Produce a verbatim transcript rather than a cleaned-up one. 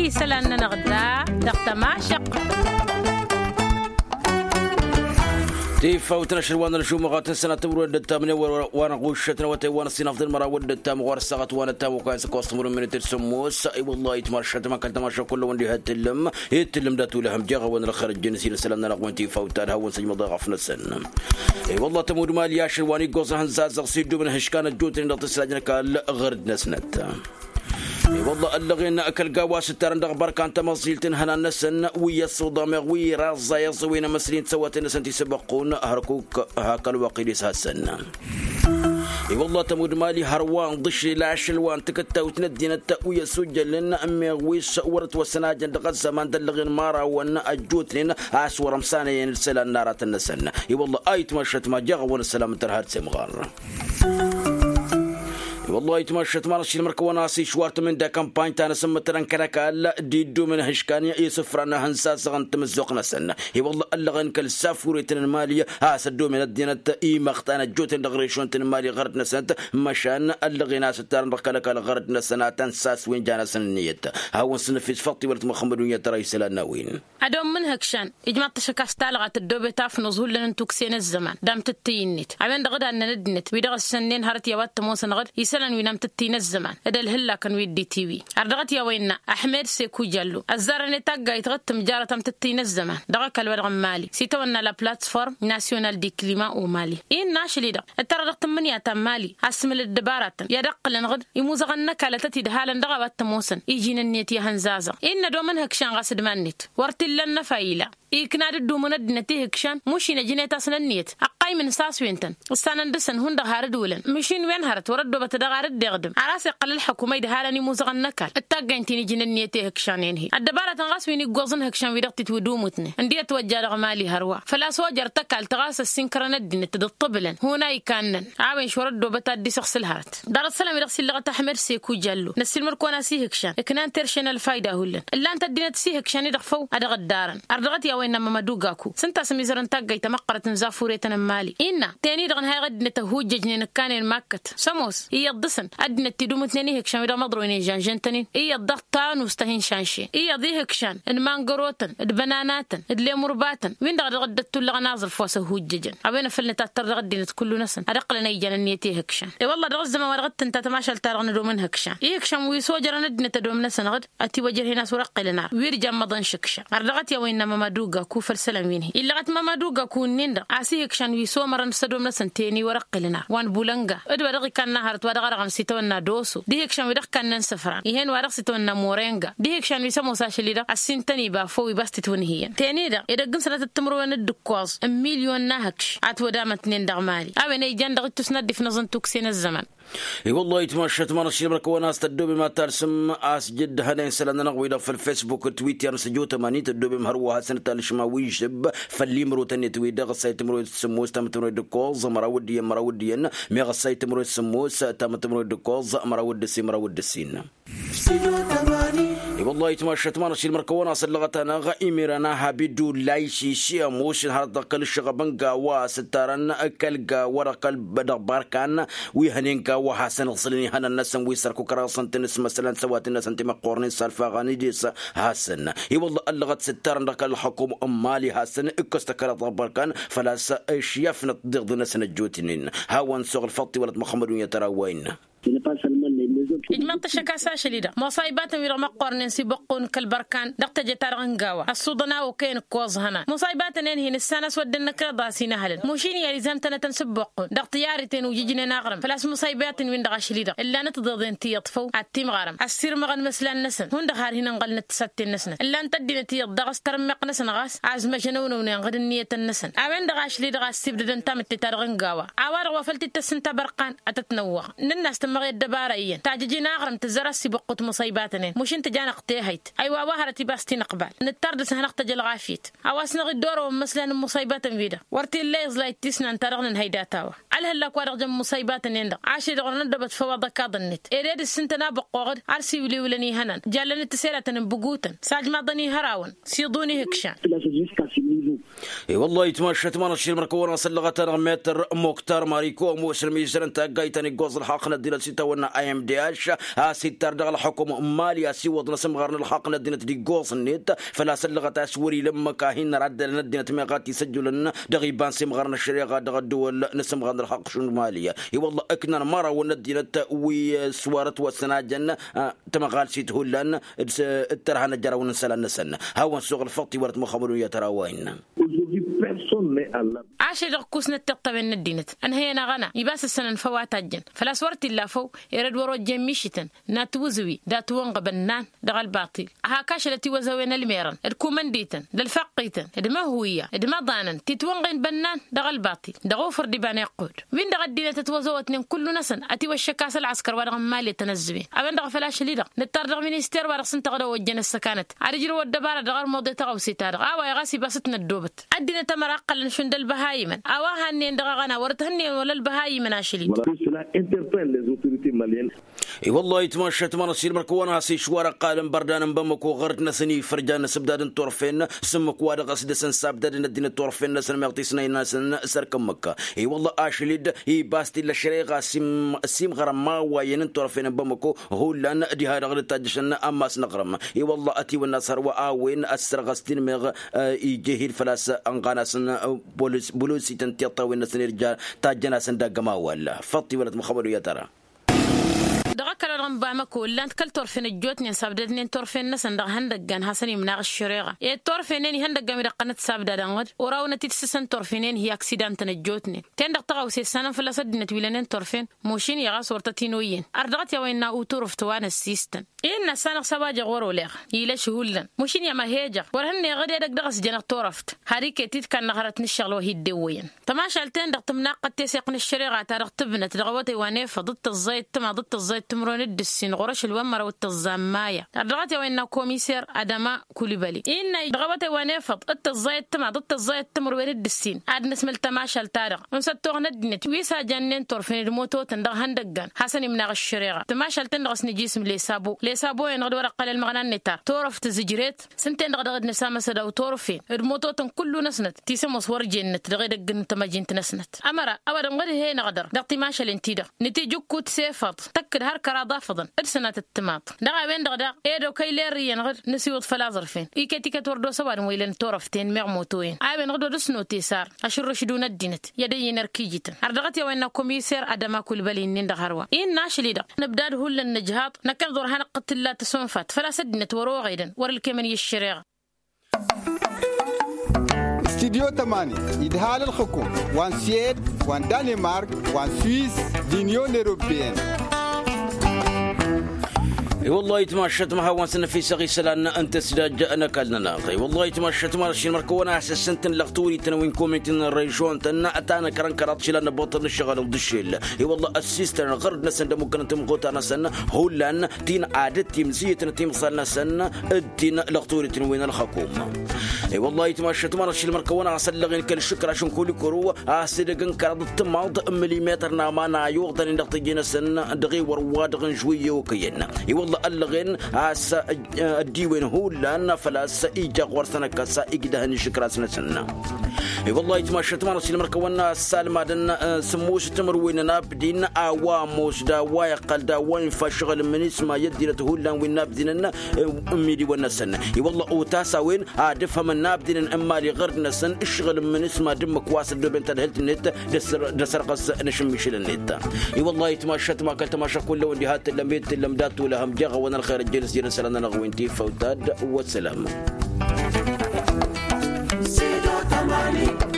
Isălan-nănăɣ da dăɣ-tămašăɣt. Tifawt n-ašăl wa n-ălžumăɣat n-sănat timǝrwen d-ăttamnen wa n-aɣuššăt n-awătay wa n-ăssinăfḍăn măraw d-ăttam ɣur-ăssaɣăt wa n-ăttam wa kăyăn s-ăkkoẓ timǝrwen minit d-sǝmmos. I-wăllah itmašăt ma kăl-tamašăɣ kull-wăn d-ihăt tǝllǝm. Ittǝllǝm dat-ulăhăm jeɣ a-wen ălxărăjjăn s-inǝsălan-nănăɣ wen tifawt ad-hawăn-săjmăḍ eɣăf-năsăn. I-wăllah tămud mali ašăl wa n-iggoẓ ihăn zazăɣ s-iddum n-ihǝškan ăjjootnen dăɣ-tǝslajăn kall-ɣărd-năsnăt. I-wăllah ăllăɣen kăl-gawa s-ǝttarăn dăɣ-bărkan tamăẓilt n-ihănan-năsăn wi ăṣṣuḍa meɣ wi iraẓẓa iẓǝwen amăsli n-tisăwaten-năsăn ti s-ăbăqqun hărkuk hakal wăqq idis hasăn. I-wăllah tămud mali hărwa n-ḍǝšril ašăl wa n-takǝttawt n-ăddinăt wi ăsujjălăn meɣ wi s-wăr-ătwăsăn ajăn dăɣ-ăzzăman d-ăllăɣen mărawăn ăjjootnen a-s wăr-ămsanăyăn isălan n-aratăn-năsăn. I-wăllah a itmăššăt ma jeɣ a-wăn ăssălam n-tărha d-semɣar. I-wăllah itmăššăt ma n-ašil mărkăwăn a-s išwar tămǝnda kămpany ta n-asǝmmǝtărăn kăl-ăkall d-iddum n-ihǝškan i-isǝfran n-ihăn sasăɣăn tamǝzzuɣt-năsăn. I-wăllah ăllăɣen kăl-safuretăn n-mali a-s ăddomen ăddinăt imăɣtan ăjjootnen dăɣ-rešon-tăn n-mali ɣărd-năsnăt măšan ăllăɣen a-s ǝttarăn dăɣ-kăl-ăkall ɣărd-năsăn ad-tăn-saswen ja-năsăn ǝnniyăt. Hawăn-săn ăfis făṭṭi wăr-ătmăxămmăd wi n-iyyăt tărăy isălan n-a-wen. Ad-omm n-ihǝkšan ijmaḍ-t ašăk a-s talɣa tăddoobet afnuẓ hullan n-tukse n-ăzzăman d-amtǝttǝy-net a-wen-dăɣ d-annăn ăddinăt wi dăɣ-ăssănnen hărăt i-a-wa t-ămoosăn ɣǝd isălan wi n-amtǝttǝy n-ăzzăman d-ălhǝllakăn wi dd-itiwi. Ar dăɣ-t i-a-wa innă ahmed sekujallu ăzzarăn i-taggayt ɣǝd tǝmjarăt amtǝttǝy n-ăzzăman dăɣ-ăkall-wa-dăɣ n-mali s-itawănna la plattform nasyonal di klima u-mali. Innă ašăl-i-dăɣ ǝttărăɣ dăɣ-tǝmmǝnǝya ta n-mali a-s tǝmǝl ăddăbaratăn i-ad-ǝqqǝlăn ɣǝd imuzăɣăn n-ăkall ătăt-idhalăn dăɣ-a-wa t-ămoosăn iji n-ǝnniyăt i-ihăn zazăɣ. Innă ădom n-ihǝkšan ɣas d-iman-net wăr t-illa ănnăfa ila ikna d-ǝddumǝn ăddinăt ihǝkšan mušin ăjnet-asăn ǝnniyăt ăqqaymǝn s-aswen-tăn ǝssanăn dăɣ-săn hundăɣ har dd-wǝlăn măšin wen hărăt wăr-ăddoobăt ad-dăɣ ar dd-iɣdǝm ar a-s iqqăl ălḥăkum a idhalăn imuzăɣăn n-ăkall ǝttaggayn-t-in iji n-ǝnniyăt ihǝkšan-en-hi ăddăbaratăn ɣas wi n-iggoẓ n-ihǝkšan wi dăɣ-titwǝdumutnen ǝndiyăt wa ǝjja dăɣ-mali hărwa făl-a-s ojăr tăkall-tăɣ a-s ăssinkărăn ăddinăt d-ǝṭṭǝbǝlăn hun a ikannăn a-wen šwăr-ăddoobăt ad-dd-isăɣsǝl hărăt. Ḍarăt isălan wi dăɣ-s illăɣăt ahmed seku jallo năssiilmăd-kăwăn-as ihǝkšan ǝknan terše n-ălfayda hullan ǝllan-t ăddinăt s-ihǝkšan-i-dăɣ făw ad-dăɣ-ǝddarăn. Ar dăɣ-t i-a-wa innă mămădu gaku s-ǝnta a-s ămizărăn taggayt tamăqqărăt n-zafuretăn n-mali innă teni-dăɣ ǝnhayăɣ ăddinăt ăhhujjăjnen ǝkkanen makkăt s-ămoos iyyăḍ dăɣ-săn ăddinăt tidumǝtnen ihǝkšan wi dăɣ-măḍroynen žănžăn-tăn-in iyyăḍ dăɣ-tanust a hin-šanšen iyyăḍ ihǝkšan n-mangărotăn d-bănanatăn d-lemurbatăn win-dăɣ a dăɣ-dd-ăttullăɣăn aẓrǝf wa s-ăhhujjăjăn. A-wen a făl nǝtattăr dăɣ-ăddinăt kullu-năsăn ad-ǝqqǝlăn a ijăn ǝnniyăt ihǝkšan. I-wălla dăɣ-ăzzăman wa dăɣ-t tǝnta tămašalt-ta-dăɣ n-ădom n-ihǝkšan ihǝkšan wi s-ojărăn ăddinăt ădom-năsăn ɣǝd ătiwăjrăhen a-s wăr-ăqqǝlăn ar wi dd-jan măḍăn šǝkša. Ar dăɣ-t i-a-wa innă mămădu gaku făll-isălan wi n-hi illăɣăt mămădu gaku ǝnnin-dăɣ a-s ihǝkšan wi s-omărăn s-ădom-năsăn teni wăr-ăqqǝlăn ar wa n-bulănga d-wa dăɣ-ikanna hărăt wa dăɣ-arăɣăm s-itawănna doso d-ihǝkšan wi dăɣ-ikannen sǝfran. Ih'-en wa dăɣ-s itawănna morenga d-ihǝkšan wi s-ămoos ašăl-i-dăɣ ăssintăn iba făw iba s-titwǝnhǝyăn teni-dăɣ edăgg n-sănatăt timǝrwen d-ǝkkoẓ n-milyon n-ahǝkš. Ad-t-wădamătnen dăɣ-mali a-wen a ijan dăɣ-ittus n-ad-dd-ifnăẓ n-tukse n-ăzzăman. I-wăllah itmašat ma n-ašilmăr kăwăn-as tăddobem ad-talsǝm a-s jǝdd hănen isălan-nănăɣ-wi-dăɣ făll-fesbuk d-twitter n-săjo tămanin tăddobem hărwa hasăn-t-talǝšma wi žăbb făll-imrotăn-net-wi-dăɣ ăssay timǝrwen s-sǝmmos tamǝtǝmrwen d-ǝkkoẓ măraw d-iyyăn măraw d-iyyăn. Meɣ ăssay timǝrwen s-sǝmmos tamǝtǝmrwen d-ǝkkoẓ măraw d-ǝssin măraw d-ǝssin. I-wăllah itmašat ma n-ašilmăr kăwăn-as ăllăɣăt-anăɣ imir ănaha biddu layšiši ămoos inhărăt dăɣ-kăl-ǝššăɣăb n-gawa a-s ǝttarăn kăl-gawa dăɣ-kăl-dăɣ barkan wi hănen gawa hasăn-ǝẓǝlăn ihănan-năsăn wi s-ărkukărăɣ s-ǝntǝn s-măsălan s-ăwatăn-năsăn timăqqornen s-alfaɣăn idis. Hasăn i-wăllah ăllăɣăt s-ǝttarăn dăɣ-kăl-ălxukum n-mali hasăn ǝkkăs tăkăraḍ dăɣ-barkan. Făl-a-s ăšyăfnăt d-iɣḍǝn-năsăn ăjjootnen hawăn-suɣ ălfăṭṭi wălăt măxămmăd wi n-ătărawwaynen. Ijmăḍ-t ašăk a-s ašăl-i-dăɣ muṣaybatăn-wi-dăɣ măqqornen s-ibăqqun kăl-bărkan dăɣ-teje-ta-dăɣ n-gawa ăṣṣuḍăn a okăyăn ǝkkoẓ hănan muṣaybatăn-en-hin ǝssan a-s wădden năkreḍ a-s inăhălăn mušin i-alizam-tănătăn s-ibăqqun dăɣ-tiyarităn ujǝjnen aɣrǝm făl-a-s muṣaybatăn-win-dăɣ ašăl-i-dăɣ ǝllanăt tiḍeḍen tiyyăḍ făw ad-timɣarăm ăssirmăɣăn imăslan-năsăn hundăɣ har hin-ǝnɣălnăt tǝsătten-năsnăt ǝllan-t ăddinăt iyyăḍ daɣ s-tărǝmmeɣt-năsăn ɣas a-s măžănăwnăwnen ɣǝd ǝnniyătăn-năsăn. A-wen-dăɣ ašli-dăɣ a ăssibdădăn tamǝtte-ta-dăɣ n-gawa a-wa-dăɣ wa făl t-dd-tăssǝnta bărqan ad-tăt-năwwăɣ nǝnn'-as tǝmmăɣ i-ăddăbara iyyăn tajǝj-in aɣrǝm tǝzzăr ăssibuqqǝt muṣaybatăn-en mušǝn tǝjanăɣ tehăyt. Ăywa a-wa hărăt iba s-tinăqbal nǝttar dăr-s ad-hanăɣ-tăj ălɣafyăt a-wa s-năɣ-dd-orăwăn imăslan n-muṣaybatăn-wi-dăɣ wăr t-illa iẓlay d-tisnant-ta-dăɣ nǝnhăy data-wa. ălhăllak wa-dăɣ jăn musăybatăn-en-dăɣ ašăl-i-dăɣ wăr năddobăt făw aḍăkaḍ-net ed ed ǝssǝntăn abăqqoɣăd. Ar s-iwlǝwlăn ihănan jallăn d-tiselatăn n-bǝgutăn s-ajmaḍăn-i hărawăn s-iḍun ihǝkšan. I-wălla-hi tmašat ma n-ašil mărkăwăn asăllăɣăt-anăɣ metăr moktar mariko ămoosăn mizărăn taggayt ta n-iggoẓ ălxaqq n-ăddinăt s-itawănna i m d h. A-s ittar dăɣ-ălxukum n-mali a-s iwwăḍ n-asǝmɣar n-ălxaqq n-ăddinăt d-iggoẓ-net. Făl-a-s ăllăɣăt a-s wăr-ila ǝmmǝk a hin-năraddălăn ăddinăt meɣ a t-isăjjulăn dăɣ-iba n-simɣar n-ăššăreɣa dăɣ-ăddăwăl n-asǝmɣar n-ălxaqq šund mali. I-wălla ǝknan mărawăn n-ăddinăt wi s-wăr ătwăssăn a jăn tămăɣalsit hullan d-tărha n-ăjjărawăn n-isălan-năsăn. Hawăn-suɣ ălfăṭṭ iwărăt măxămădun i-ad-tărawăyăn. Ašăl-i-dăɣ kusnăt tiṭṭawen n-ăddinăt ănhăyăn aɣăna ibas ǝssănăn făw a tajjăn făl-a-s wăr t-illa făw. Erăd wăr-ojjen mišităn n-atwǝzǝwi d-atwănɣ bănnan dăɣ-ălbaṭil. Hak ašăl ătiwăzăwen ălmerăn d-kumăndităn d-ălfăqqităn d-măhuyya d-imăḍanăn titwănɣen bănnan dăɣ-ălbaṭil dăɣ-ufăr d-iba n-iqqud. Win-dăɣ ăddinăt ătwăzăwătnen kullu-năsăn ătiwăššăk a-s ălɣăskăr wa dăɣ-n mali tăn-ăzzǝwen. A-wen-dăɣ a făl ašăl-i-dăɣ nǝttar dăɣ-minister wa dăɣ-s ǝnta ɣǝd ăwăjjăn ăssăkanăt ad-ǝjrǝw ăddăbara dăɣ-armuḍe tăɣăwse-ta-dăɣ a-wa iɣas ibas t-năddobăt. Ăddinăt ămăra ǝqqălăn šund ălbăhayimăn a-wa hannăyăn dăɣ-aɣăna wăr t-hannăyăn wăla ălbăhayimăn ašăl-i-dăɣ. Cela interpelle les autorités maliennes. I-wăllah itmašat ma n-ašil mărkăwăn a-s išwar ăqqalăn bărdan n-bamăko ɣăr-dd-năsăn ifărjan n-asǝbdad n-turfen s-ǝmmǝk wa dăɣ-s dăr-săn sabdadăn ăddinăt turfen-năsăn meɣ tisnăy-năsăn s-erk ǝmmǝk. I-wăllah ašăl-dd ibas t-illa ăššăreɣa s-imɣărăn ma wa iyyăn n-turfen n-bamăko. Hullan diha-dăɣ dd-tajjăšăn ammas n-aɣrǝm. I-wăllah ătiwănna s-hărwa a-wen ăssărɣăs-t-in meɣ ija ihi-dd făl-a-s ănɣan-asăn. Bălosităn tiṭṭawen-năsăn irja tajjăn-asăn dagg-ămawal. Făṭṭ-iwălăt măxămăd u-yatăra. Dăɣ-ăkall wa dăɣ-n bamăko ǝllan-t kăl-turfen ăjjootnen sabdădnen turfen-năsăn dăɣ-ihăndăggan hasăn-imnaɣ ăššăreɣa ed turfenen ihăndăggan wi dăɣ-tăn-dd-sabdadăn ɣǝd. Oraw-năt-dd-sǝsăn turfenen hi-aksida n-tăn-ăjjootnen. Ten-dăɣ tăɣawse ǝssanăn fălla-s ăddinăt wi lănen turfen. Mušin i-ɣas wăr tăt-in-oyyen ar dăɣ-t i-a-wa innă uturǝft wa n-ăssistăn. Innă ăssanăɣ s-a-wa jeɣ wăr-oleɣ. Ilăš hullan mušin i-amăhejăɣ wăr hănnăyăɣ dd-edăgg dăɣ-s jănăɣ turăft. Har iket-dd kannăɣ hărăt n-ǝššăɣǝl wa hi-dd-ewwăyăn. Tămašalt-en-dăɣ tǝmnaqqăt teseɣt n-ăššăreɣa-ta-dăɣ tǝbnăt dăɣ-awătay wa n-efăḍ d-tăẓẓayăt timaḍ d-tăẓẓayăt timǝrwen d-ǝssin ɣur-ašăl wa n-măraw d-tăẓẓa n-maya. Ar dăɣ-t i-a-wa innă komiser adăma kulibăli innă dăɣ-awătay wa n-efăḍ d-tăẓẓayăt timaḍ d-tăẓẓayăt timǝrwen d-ǝssin. Ad-nǝsmǝl tămašalt-ta-dăɣ n-săttoɣ n-ăddinăt wi s-a jannen turfen d-mototăn dăɣ-ihăndăggan hasăn-imnaɣ ăššăreɣa. Tămašalt-en-dăɣ s-nǝjisǝm lesabo lesabo-en-dăɣ d-wăr-ăqqăl ălmăɣna-net ta turăft tǝzǝjret. S-ǝnta-en-dăɣ daɣ dd-nǝsamăs ădaw turfen d-mototăn kullu-năsnăt ti s-ămoos wăr jennăt dăɣ-edăgg n-tamăjint-năsnăt. Ămăra a-wa dăɣ-nădhăyăn-dăɣ dăɣ-timašalen-ti-dăɣ nǝtijǝkkut s-efăḍ tăkk-dd har kăraḍ afăḍăn d-sănatăt timaḍ. Dăɣ-a-wen-dăɣ daɣ ed okăy lerrǝyăn ɣǝd nǝsiwǝḍ făll-aẓrǝfen iket-iket wăr dd-osăw ad-n-wa ilăn turăften meɣ motoyen. A-wen-dăɣ dd-odăs n-otesar ašǝrrǝš d-un-ăddinăt i-ad-ăyy n-erk ijităn har dăɣ-t i-a-wa innă komiser adăma kulbăl-i-nin-dăɣ hărwa innă ašăl-i-dăɣ. Nǝbdad hullan nǝjhaḍ năkkăneḍ wăr hanăɣ-tǝlla tăsonfat făl-a-s ăddinăt wăr-oɣedăn wăr-ǝlkemăn i-ăššăreɣa. Studyo tămani idhal ălxǝkum wa n-suwed wa n-danemark wa n-suwis d-inyon eropeyăn. I-wăllah itmašat ma hawăn-săn năfisăɣ isălan n-tăsidaj n-ăkall-nănăɣ. I-wăllah itmašat ma n-ašin mărkăwăn a-s ǝssǝntăn lăɣ turităn wi n-komitin n-režon-tăn ta n-ăkrăn kăraḍ išilan n-ăbboṭăr n-ǝššăɣǝl d-ǝššel. I-wăllah ăssistăn ɣărd-năsăn d-ămukkănăn timɣutar-năsăn hullan ti n-ad-dd-timzǝyǝtăn timẓal-năsăn d-ti n-lăɣ turităn wi n-ălxăkum. I-wăllah itmašat ma n-ašil mărkăwăn a-s ăllăɣen kăl-išǝkraš n-kulikuru a-s edăgg n-kăraḍ d-timaḍ n-milimetăr n-aman a iwăḍănen dăɣ-tiji-năsăn dăɣ-ewăr wa dăɣ-n žwǝyye okăyăn. I-wăllah ăllăɣen a-s ăddiwen hullan făl-a-s ija ɣur-săn ăkkăs igdăhăn išǝkras-năsăn. I-wăllah itmašat ma n-ašil mărkăwăn a-s salmadăn sǝmmus timǝrwen n-abdin a-wa ămoos d-a-wa iqqăl d-a-wa infa ǝššăɣǝl n-minisma i-ăddinăt hullan wi n-abdinăn n-imidiwăn-năsăn. I-wăllah otas a-wen ad-ǝfhămăn n-abdinăn n-mali ɣărd-năsăn ǝššăɣǝl n-minisma d-ǝmmǝk wa s-ăddooben tadhǝlt-net d-asărɣăs n-ašǝmmišǝl-net. I-wăllah itmašat ma kăl-tămaša kullăwăn diha t-tǝllăm ed t-tǝllăm dat-tulăhăm jeɣ-awăn ălxer ăjjeen s-jere isălan-nănăɣ wi n-tifăwt ad-wăssălam. Sido tamani.